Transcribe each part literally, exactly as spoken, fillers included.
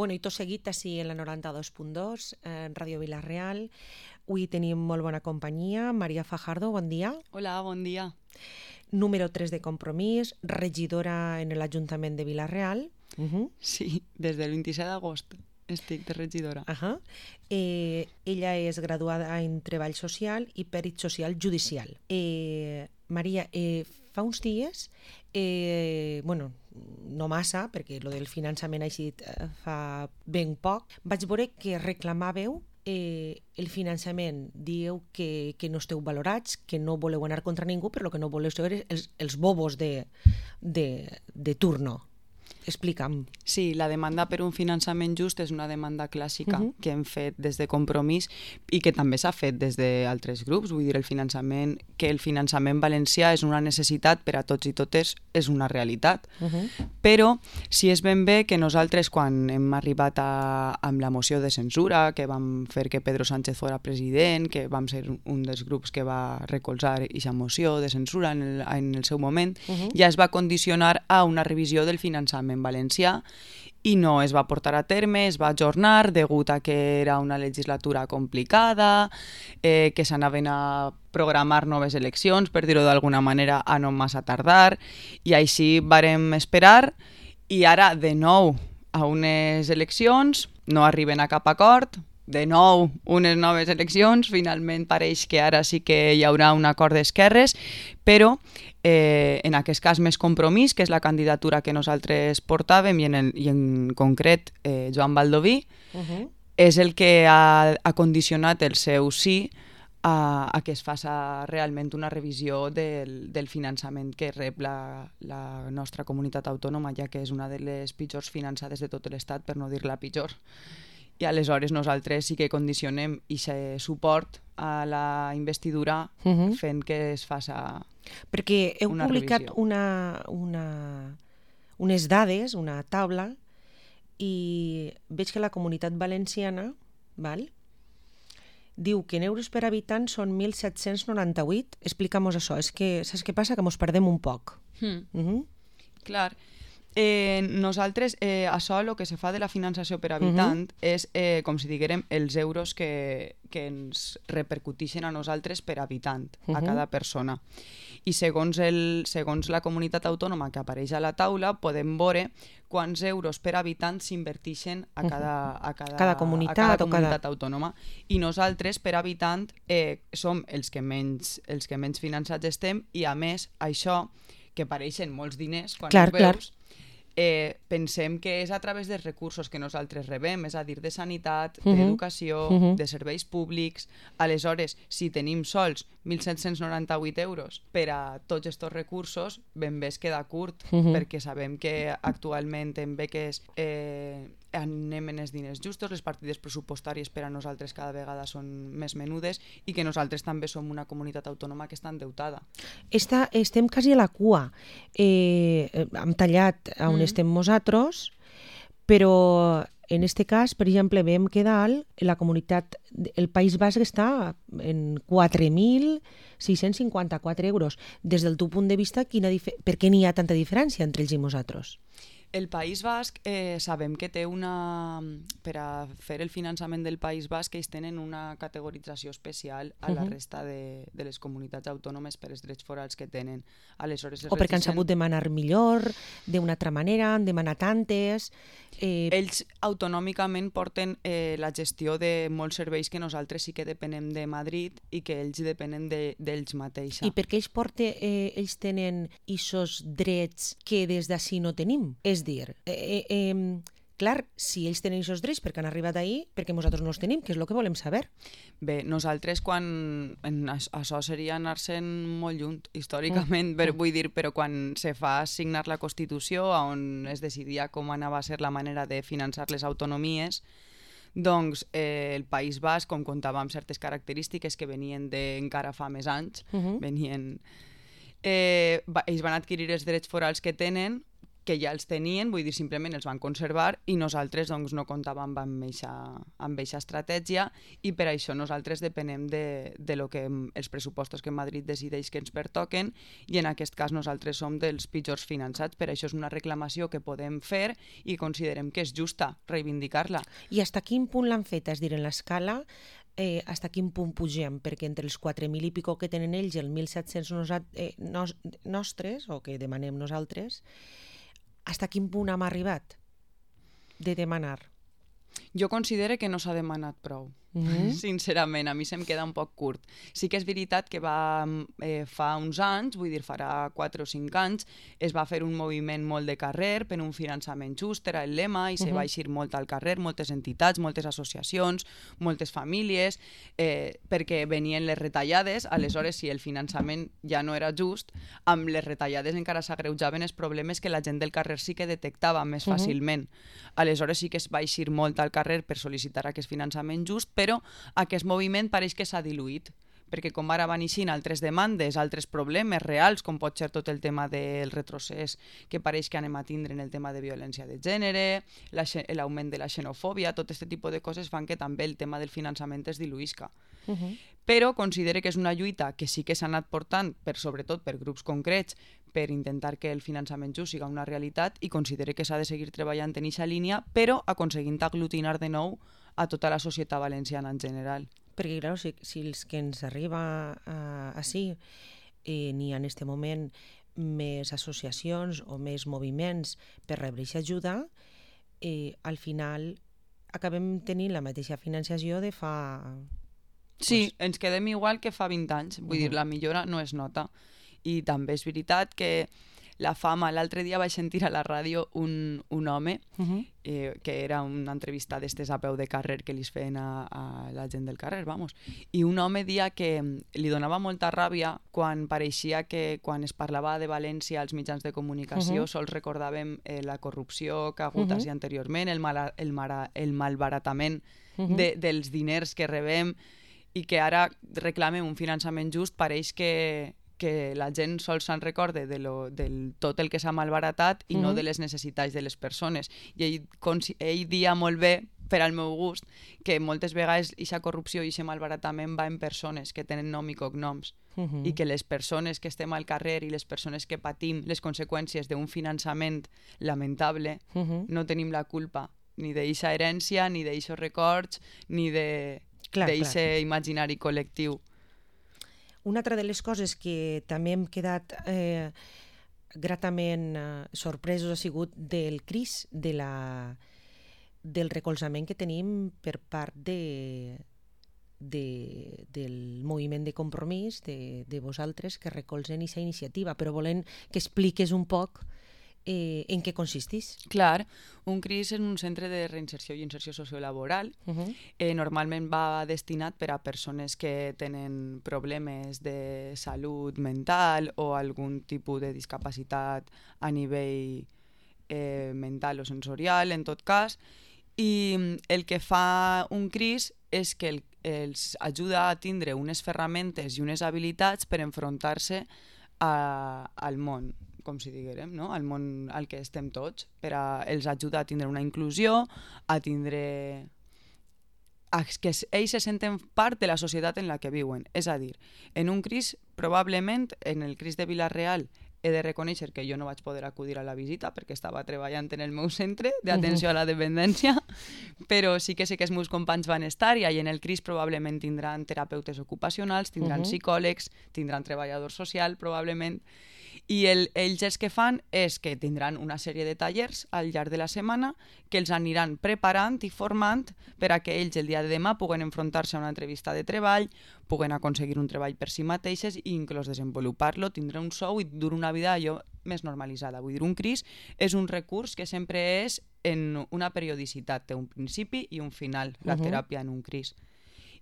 Bueno, i tot seguit així en la noranta-dos punt dos, en Ràdio Vila-real. Avui tenim molt bona companyia. Maria Fajardo, bon dia. Hola, bon dia. Número tres de Compromís, regidora en l'Ajuntament de Vila-real. Uh -huh. Sí, des del vint-i-set d'agost estic de regidora. Uh -huh. eh, ella és graduada en Treball Social i Pèrit Social Judicial. Eh, Maria, eh, fa uns dies, eh, bueno, no massa, perquè lo del finançament així eh, fa ben poc, vaig veure que reclamàveu eh, el finançament. Dieu que, que no esteu valorats, que no voleu anar contra ningú, però el que no voleu ser els, els bobos de, de, de turno. Explica'm. Sí, la demanda per un finançament just és una demanda clàssica uh -huh. que hem fet des de Compromís i que també s'ha fet des d'altres grups. Vull dir, el finançament, que el finançament valencià és una necessitat per a tots i totes, és una realitat. Uh -huh. Però si és ben bé que nosaltres, quan hem arribat a, amb la moció de censura, que vam fer que Pedro Sánchez fora president, que vam ser un dels grups que va recolzar aquesta moció de censura en el, en el seu moment, uh -huh. ja es va condicionar a una revisió del finançament en valencià i no es va portar a terme, es va ajornar degut a que era una legislatura complicada, eh, que s'anaven a programar noves eleccions, per dir-ho d'alguna manera, a no massa tardar, i així vàrem esperar, i ara de nou a unes eleccions no arriben a cap acord, de nou unes noves eleccions, finalment pareix que ara sí que hi haurà un acord d'esquerres, però eh, en aquest cas més Compromís, que és la candidatura que nosaltres portàvem, i en, el, i en concret eh, Joan Baldoví, uh -huh. és el que ha, ha condicionat el seu sí a, a que es faci realment una revisió del, del finançament que rep la, la nostra comunitat autònoma, ja que és una de les pitjors finançades de tot l'Estat, per no dir la pitjor. I aleshores nosaltres sí que condicionem aquest suport a la investidura uh -huh. fent que es faci perquè heu una publicat revisió. una, una, unes dades, una taula, i veig que la comunitat valenciana, val, diu que en euros per habitant són mil set-cents noranta-vuit. Explica'm-nos això. És que, saps què passa? Que mos perdem un poc. Hmm. Uh -huh. Clar. Eh, nosaltres, eh, això, el que se fa de la finançació per habitant, uh -huh. és, eh, com si diguérem, els euros que, que ens repercuteixen a nosaltres per habitant, uh -huh. a cada persona. I segons, el, segons la comunitat autònoma que apareix a la taula, podem veure quants euros per habitant s'inverteixen a cada, a cada, cada comunitat, a cada comunitat cada... autònoma. I nosaltres, per habitant, eh, som els que, menys, els que menys finançats estem, i a més, això, que pareixen molts diners quan clar, ho veus, clar. Eh, pensem que és a través dels recursos que nosaltres rebem, és a dir, de sanitat, uh -huh. d'educació, uh -huh. de serveis públics. Aleshores, si tenim sols mil set-cents noranta-vuit euros per a tots aquests recursos, ben bé es queda curt, uh -huh. perquè sabem que actualment en beques eh, anem en els diners justos, les partides pressupostàries per a nosaltres cada vegada són més menudes, i que nosaltres també som una comunitat autònoma que està endeutada. Està, estem quasi a la cua. Eh, hem tallat on mm. estem nosaltres, però en este cas, per exemple, veiem que dalt la comunitat, el País Basc està en quatre mil sis-cents cinquanta-quatre euros. Des del teu punt de vista, quina per què n'hi ha tanta diferència entre ells i nosaltres? El País Basc, eh, sabem que té una... Per a fer el finançament del País Basc, ells tenen una categorització especial a la resta de, de les comunitats autònomes per als drets forals que tenen. Aleshores, o perquè han sabut demanar millor, d'una altra manera, han demanat tantes... Eh... Ells autonòmicament porten eh, la gestió de molts serveis que nosaltres sí que depenem de Madrid i que ells depenen d'ells de, mateixos. I per què ells, porte, eh, ells tenen aquests drets que des d'ací no tenim? És dir, eh, eh, clar, si ells tenen aquests drets perquè han arribat ahir, perquè nosaltres no els tenim, que és el que volem saber. Bé, nosaltres quan... En, això seria anar-se'n molt lluny, històricament, mm. però, vull dir, però quan se fa signar la Constitució, on es decidia com anava a ser la manera de finançar les autonomies, doncs eh, el País Basc, com comptava amb certes característiques que venien d'encara fa més anys, uh -huh. venien... Eh, va, ells van adquirir els drets forals que tenen que ja els tenien, vull dir, simplement els van conservar i nosaltres doncs, no comptàvem amb aquesta estratègia i per això nosaltres depenem de, de lo que, els pressupostos que Madrid decideix que ens pertoquen i en aquest cas nosaltres som dels pitjors finançats. Per això és una reclamació que podem fer i considerem que és justa reivindicar-la. I fins a quin punt l'han fet? És dir, en l'escala, eh, fins a quin punt pugem? Perquè entre els quatre mil i pico que tenen ells i els mil set-cents nos, eh, nos, nostres, o que demanem nosaltres, fins a quin punt hem arribat de demanar? Jo considero que no s'ha demanat prou. Mm-hmm. Sincerament, a mi se'm queda un poc curt. Sí que és veritat que va, eh, fa uns anys, vull dir, farà quatre o cinc anys, es va fer un moviment molt de carrer per un finançament just, era el lema, i mm-hmm. se va eixir molt al carrer, moltes entitats, moltes associacions, moltes famílies, eh, perquè venien les retallades, aleshores si el finançament ja no era just, amb les retallades encara s'agreujaven els problemes que la gent del carrer sí que detectava més mm-hmm. fàcilment. Aleshores sí que es va eixir molt al carrer per sol·licitar aquest finançament just, però aquest moviment pareix que s'ha diluït, perquè com ara van eixint altres demandes, altres problemes reals, com pot ser tot el tema del retrocés que pareix que anem a tindre en el tema de violència de gènere, l'augment de la xenofòbia, tot aquest tipus de coses fan que també el tema del finançament es diluïsca. Uh-huh. Però considero que és una lluita que sí que s'ha anat portant, per, sobretot per grups concrets, per intentar que el finançament just siga una realitat i considero que s'ha de seguir treballant en aquesta línia, però aconseguint aglutinar de nou a tota la societat valenciana en general. Perquè, clar, si, si els que ens arriba uh, així eh, n'hi ha en aquest moment més associacions o més moviments per rebre aquesta ajuda, eh, al final acabem tenint la mateixa financiació de fa... Sí, pues... ens quedem igual que fa vint anys, vull uh-huh. dir, la millora no es nota. I també és veritat que la fama, l'altre dia vaig sentir a la ràdio un, un home uh-huh. eh, que era una entrevista d'estes a peu de carrer que li feien a, a la gent del carrer, vamos. I un home dia que li donava molta ràbia quan pareixia que quan es parlava de València als mitjans de comunicació uh-huh. sols recordàvem eh, la corrupció que ha hagut uh-huh. així anteriorment, el, mal, el, mara, el malbaratament uh-huh. de, dels diners que rebem i que ara reclamem un finançament just, pareix que que la gent sols se'n recorde de lo, del tot el que s'ha malbaratat i mm-hmm. no de les necessitats de les persones. I ell, ell dia molt bé, per al meu gust, que moltes vegades aquesta corrupció i aquest malbaratament va en persones que tenen nom i cognoms mm-hmm. i que les persones que estem al carrer i les persones que patim les conseqüències d'un finançament lamentable mm-hmm. no tenim la culpa ni d'aquesta herència, ni d'aixos records, ni d'aquest imaginari col·lectiu. Una altra de les coses que també hem quedat eh, gratament eh, sorpresos ha sigut del C R I S, de la, del recolzament que tenim per part de, de, del moviment de Compromís, de, de vosaltres que recolzen aquesta iniciativa, però volem que expliques un poc Eh, en què consisteix? Clar, un C R I S és un centre de reinserció i inserció sociolaboral. Uh-huh. Eh, normalment va destinat per a persones que tenen problemes de salut mental o algun tipus de discapacitat a nivell eh, mental o sensorial, en tot cas. I el que fa un C R I S és que el, els ajuda a tindre unes ferramentes i unes habilitats per enfrontar-se a, al món, com si diguérem, no? Al món al que estem tots, per a els ajuda a tindre una inclusió, a tindre... a que ells se senten part de la societat en la que viuen. És a dir, en un C R I S, probablement, en el C R I S de Vila-real, he de reconèixer que jo no vaig poder acudir a la visita perquè estava treballant en el meu centre d'atenció a la dependència, però sí que sé que els meus companys van estar i en el C R I S probablement tindran terapeutes ocupacionals, tindran uh-huh. psicòlegs, tindran treballador social, probablement, i el, ells el que fan és que tindran una sèrie de tallers al llarg de la setmana que els aniran preparant i formant per a que ells el dia de demà puguen enfrontar-se a una entrevista de treball, puguen aconseguir un treball per si mateixes i inclús desenvolupar-lo, tindre un sou i dur una vida allò més normalitzada. Vull dir, un C R I S és un recurs que sempre és en una periodicitat, té un principi i un final, la uh-huh. teràpia en un C R I S.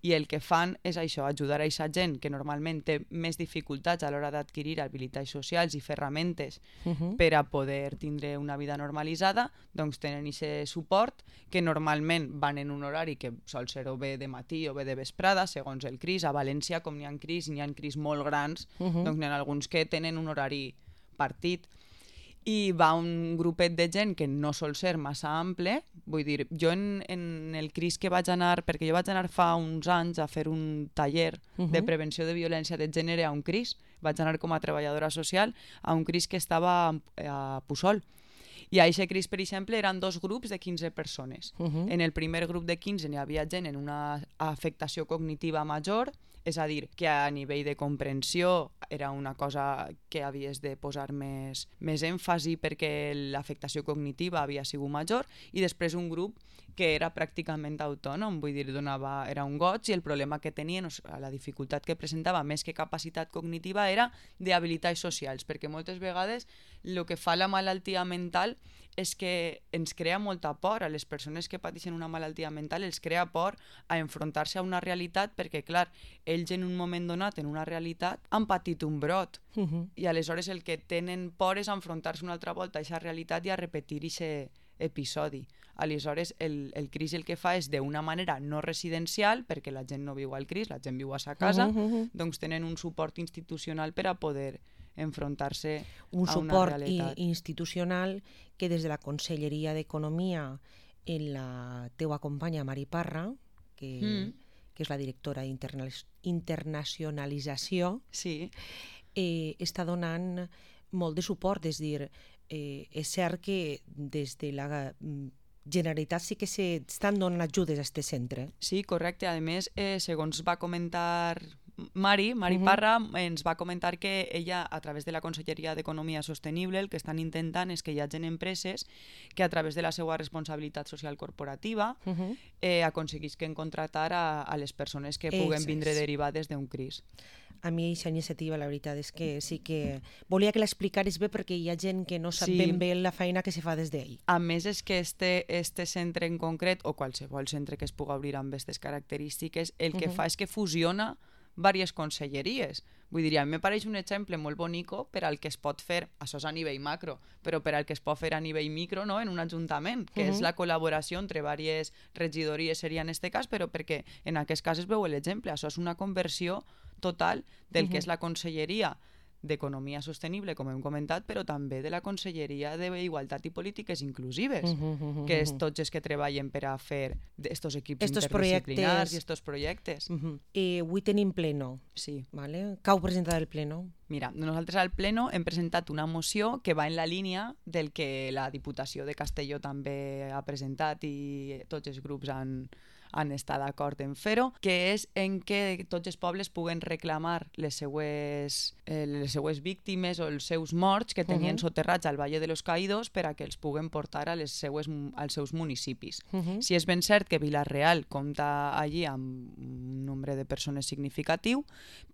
I el que fan és això, ajudar a aquesta gent que normalment té més dificultats a l'hora d'adquirir habilitats socials i ferramentes uh-huh. per a poder tindre una vida normalitzada, doncs tenen aquest suport que normalment van en un horari que sol ser o bé de matí o bé de vesprada, segons el C R I S. A València, com n'hi ha C R I S, n'hi ha C R I S molt grans, uh-huh. doncs n'hi ha alguns que tenen un horari partit. i va un grupet de gent que no sol ser massa ample. Vull dir, jo en, en el CRIS que vaig anar, perquè jo vaig anar fa uns anys a fer un taller uh-huh. de prevenció de violència de gènere a un CRIS, vaig anar com a treballadora social a un CRIS que estava a Puçol. I a aquest CRIS, per exemple, eren dos grups de quinze persones. Uh-huh. En el primer grup de quinze n'hi havia gent en una afectació cognitiva major, és a dir, que a nivell de comprensió era una cosa que havies de posar més, més èmfasi perquè l'afectació cognitiva havia sigut major, i després un grup que era pràcticament autònom, vull dir, donava, era un goig, i el problema que tenien, o sigui, la dificultat que presentava més que capacitat cognitiva era d'habilitats socials, perquè moltes vegades el que fa la malaltia mental és que ens crea molta por. A les persones que pateixen una malaltia mental els crea por a enfrontar-se a una realitat perquè, clar, ells en un moment donat, en una realitat, han patit un brot. Uh-huh. I aleshores el que tenen por és enfrontar-se una altra volta a aquesta realitat i a repetir aquest episodi. Aleshores, el, el CRIS el que fa és d'una manera no residencial, perquè la gent no viu al CRIS, la gent viu a sa casa, uh-huh, uh-huh. doncs tenen un suport institucional per a poder enfrontar-se un a una suport realitat. institucional que des de la Conselleria d'Economia, en la teua companya Mari Parra, que, mm. que és la directora d'internacionalització, sí. eh, està donant molt de suport. És dir, eh, és cert que des de la Generalitat sí que s'estan donant ajudes a aquest centre. Sí, correcte. A més, eh, segons va comentar Mari, Mari uh-huh. Parra, ens va comentar que ella, a través de la Conselleria d'Economia Sostenible, el que estan intentant és que hi hagi empreses que a través de la seva responsabilitat social corporativa uh-huh. eh, aconseguisquen contractar a, a les persones que puguen Exacte. Vindre derivades d'un CRIS. A mi aquesta iniciativa, la veritat és que sí que volia que l'explicaris bé, perquè hi ha gent que no sap sí. ben bé la feina que se fa des d'ell. A més, és que este, este centre en concret, o qualsevol centre que es pugui obrir amb aquestes característiques, el que uh-huh. fa és que fusiona diverses conselleries. Vull dir, a mi me pareix un exemple molt bonico per al que es pot fer, això és a nivell macro, però per al que es pot fer a nivell micro, no?, en un ajuntament, que uh-huh. és la col·laboració entre diverses regidories, seria en aquest cas, però perquè en aquest cas es veu l'exemple. Això és una conversió total del uh-huh. que és la conselleria d'Economia Sostenible, com hem comentat, però també de la Conselleria d'Igualtat i Polítiques Inclusives, uh-huh, uh-huh, que és tots els que treballen per a fer estos equips estos interdisciplinars i estos projectes. Uh-huh. Eh, avui tenim pleno. Sí. Vale. Què heu presentat al pleno? Mira, nosaltres al pleno hem presentat una moció que va en la línia del que la Diputació de Castelló també ha presentat i tots els grups han han estat d'acord en fer-ho, que és en què tots els pobles puguen reclamar les seues, eh, les seues víctimes o els seus morts que tenien uh-huh. soterrats al Valle de los Caídos per a que els puguen portar a les seues, als seus municipis. Uh-huh. Si és ben cert que Vila-real compta allí amb un nombre de persones significatiu,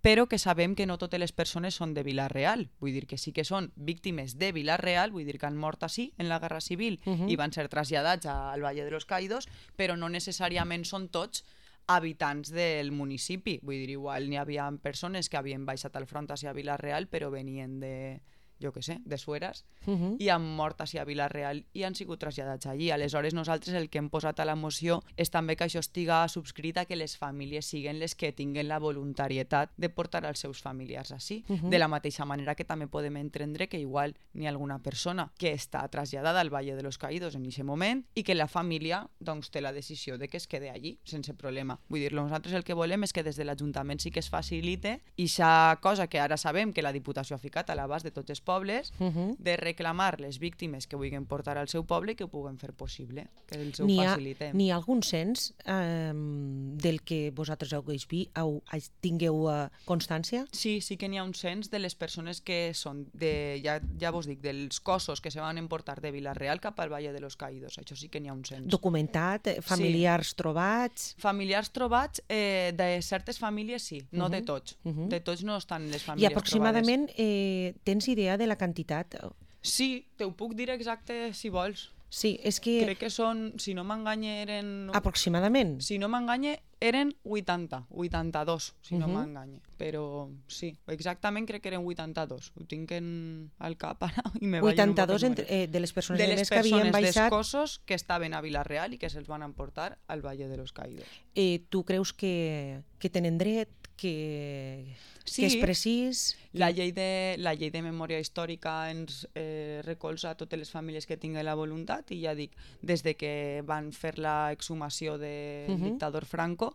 però que sabem que no totes les persones són de Vila-real. Vull dir que sí que són víctimes de Vila-real, vull dir que han mort així en la Guerra Civil uh-huh. i van ser traslladats al Valle de los Caídos, però no necessàriament són tots habitants del municipi. Vull dir, igual n'hi havia persones que havien baixat al front hacia Vila-real però venien de, jo què sé, de Sueras uh-huh. i han mort hacia Vila-real i han sigut traslladats allí. Aleshores nosaltres el que hem posat a la moció és també que això estiga subscrit a que les famílies siguen les que tinguen la voluntarietat de portar els seus familiars així. Uh-huh. De la mateixa manera que també podem entendre que igual n'hi ha alguna persona que està traslladada al Valle de los Caídos en aquest moment i que la família doncs, té la decisió de que es quede allí sense problema. Vull dir, nosaltres el que volem és que des de l'Ajuntament sí que es facilite i aquesta cosa que ara sabem que la Diputació ha ficat a l'abast de tots els pobles, uh-huh. de reclamar les víctimes que vulguin portar al seu poble i que ho puguen fer possible, que els ho facilitem. N'hi ha algun cens eh, del que vosaltres heu, heu, tingueu uh, constància? Sí, sí que n'hi ha un cens de les persones que són, de, ja, ja vos dic, dels cossos que se van emportar de Vila-real cap al Valle de los Caídos. Això sí que n'hi ha un cens. Documentat? Familiars sí. trobats? Familiars trobats, eh, de certes famílies sí, no uh-huh. de tots. Uh-huh. De tots no estan les famílies I aproximadament eh, tens idea de la quantitat? Sí, te ho puc dir exacte si vols. Sí, és que... Crec que són, si no m'enganye, eren... Aproximadament? Si no m'enganye, eren vuitanta, vuitanta-dos, si no Mhm. m'enganye. Però sí, exactament crec que eren vuitanta-dos. Ho tinc en, al cap ara i me ballen un poc vuitanta-dos els entre, números. eh, de les persones De de les més que havien persones baixat. d'escossos que estaven a Vila-real i que se'ls van emportar al Valle de los Caídos. Eh, tu creus que, que tenen dret, que, Sí. que és precís? La llei de, la llei de memòria històrica ens eh, recolza a totes les famílies que tinguen la voluntat i ja dic, des de que van fer la exhumació del Mhm. dictador Franco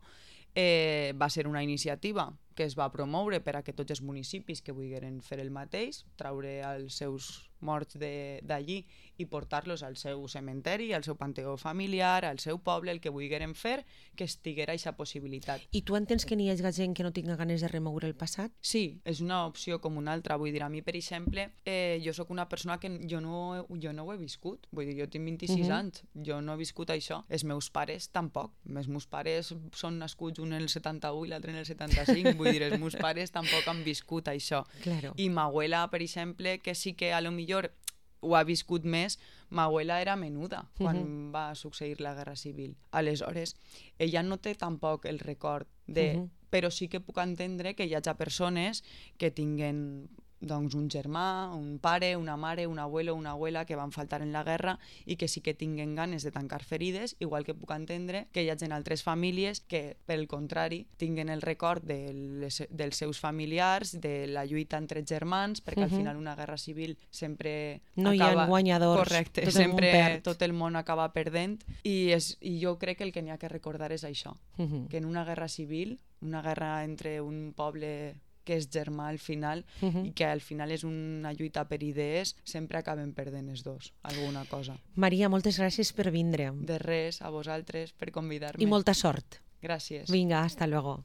eh, va ser una iniciativa que es va promoure per a que tots els municipis que vulgueren fer el mateix, traure els seus morts de- d'allí i portar-los al seu cementeri, al seu panteó familiar, al seu poble, el que vulgueren fer, que estiguera aquesta possibilitat. I tu entens que n'hi hagi gent que no tinga ganes de remoure el passat? Sí, és una opció com una altra. Vull dir, a mi, per exemple, eh, jo sóc una persona que jo no, jo no ho he viscut. Vull dir, jo tinc vint-i-sis Mhm. anys, jo no he viscut això. Els meus pares tampoc. Els meus pares són nascuts un en el setanta-u i l'altre en el setanta-cinc. Vull dir, els meus pares tampoc han viscut això. Claro. I ma abuela, per exemple, que sí que a lo millor ho ha viscut més, ma abuela era menuda quan Mhm. va succeir la Guerra Civil. Aleshores, ella no té tampoc el record de... Mhm. Però sí que puc entendre que hi hagi persones que tinguen doncs, un germà, un pare, una mare, un abuelo, una abuela que van faltar en la guerra i que sí que tinguen ganes de tancar ferides, igual que puc entendre que hi hagi altres famílies que, per el contrari, tinguen el record de les, dels seus familiars, de la lluita entre germans, perquè al Mhm. final una guerra civil sempre No hi ha acaba... guanyadors, Correcte, tot el món sempre perd. tot el món acaba perdent i, és, i jo crec que el que n'hi ha que recordar és això, Mhm. que en una guerra civil, una guerra entre un poble que és germà al final Mhm. i que al final és una lluita per idees, sempre acaben perdent els dos, alguna cosa. Maria, moltes gràcies per vindre. De res, a vosaltres, per convidar-me. I molta sort. Gràcies. Vinga, hasta luego.